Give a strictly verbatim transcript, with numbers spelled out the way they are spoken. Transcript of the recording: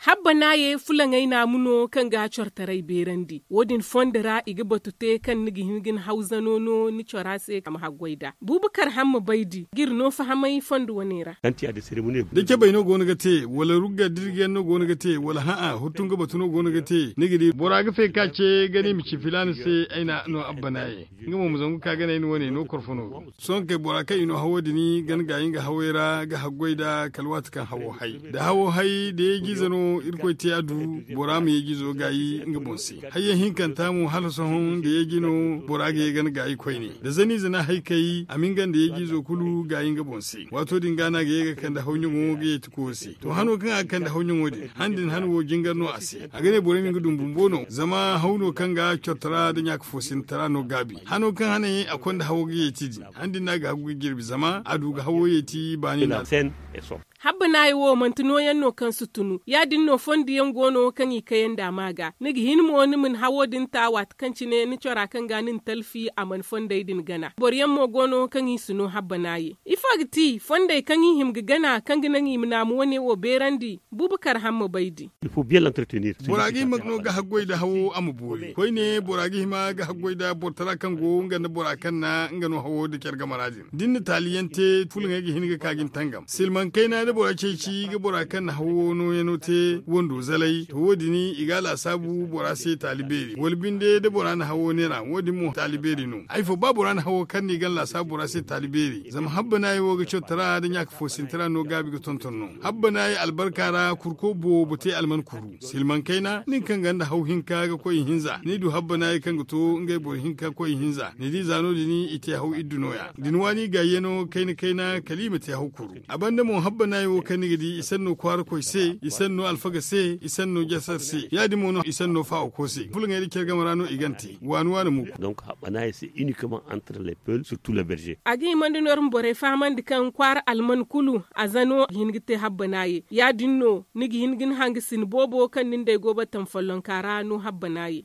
Habbanaayey fulaŋey naamu no kaŋ ga cortaray beerandi. Wo- din fondo ra i ga batu te kaŋ ni ga hin ga ni hawzano no ni cora se a ma haggoy nd'a. Buubakar hamma baydi ga iri no fahamay fondo wane ra. Da cabey no go no ga te wala rugga dirgiyaŋ no go no ga te wala hã'a huttu nga batu no go no ga te ni ga di bora ga fay ka ce gana i ma ci filaana se ay na no abbanaaye. Nga mo ma zangu ka gana ay ni wane no korfo no ga. Sohõ kay bora kaŋ i no hawo din gana gaayi nga hawey ra ga haggoy nd'a kala waati kaŋ hawo hay da hawo hay da yeeji ize no irkoy te a du. Bora ma yeeji izo gaayi nga boŋ se. Hayyaŋ hinkanta mo hala sohõ da yeeji no bora ga ye gana gaayi koyne da zani zana hay kay a ma nga nda yeeji izo kulu gaayi nga boŋ se. Waato din ga no a ga ye ga kande hawɲaŋo ga yeeti kuwo se to hano kaŋ a ga kande hawɲaŋo din han din han wo jingar no a se. A ga ne borey ma nga dum bumbo no zama haw no kaŋ ga cortara da ɲaaka fo sintara no gaabi hano kaŋ hane a konda hawo ga yeeti din han din no a ga hagu ga jirbi zama a du ga hawo yeeti baani no. Habbanaayey wo manti nooyaŋ no kaŋ si tunu ya- din no fondo yaŋ go no kaŋ i kayandi a ma ga ni ga hin mo ni ma ni hawo din ta waati kaŋ cine ni cora kaŋ ga ni na talfi a mana fondey din gana boro yaŋ mo go no kaŋ i si no habbanaayey. Ifo ga ti fondey kaŋ i hima ga gana kaŋ ga naŋ i ma naamu wane wo beerandi? Buubakar hamma baydi. Bora ga hima no ga haggoy nda hawo a ma boori koyne bora ga hima ga haggoy nda borotara kaŋ go nga nda bora kaŋ na nga no hawo nda care gamara din da ni na taaliyaŋ te fulaŋey ga hin ga ka ga ni tangam silmaŋ kayna da bora ceeci ga bora kaŋ na hawo nooyaŋo te wando zalay to wo- din i ga a laasaabu bora se taali beeri wala binde da bora na hawo neera wo- din mo taali beeri no. Ay fo ba bora na hawo kaŋ no i ga ni laasaabu bora se taali beeri zama habbanaayey wo ga cotara nda ɲaaka fo sintara no gaabi ga tonton no. Habbanaayey albarka ra kurko boobo te alman kuru silmaŋ kayna nin kaŋ gonda haw hinka ga koy ihinza ni du habbanaayey kaŋ ga to ngey boro hinka koy ihinza ni di za no- din i te haw iddu nooya da ni waani gaayyano kayna kayna kala i ma te haw kuru. A banda mo habbanaayey wo kaŋ ni ga di i sanno kwaarakoy se i sanno alfaga se i sanno jasar se ya- din mo no i sanno faawako se fulaŋey nda care game ra no i gana te waani waani mo. Kulu. A ga himandi no iri ma borey fahamandi kaŋ kwaara alman kulu a zano ga hin ga te habbanaayey ya- din no ni ga hin ga ni hangasin boobo kaŋ nin da ay go battam follonka ra no habbanaayey.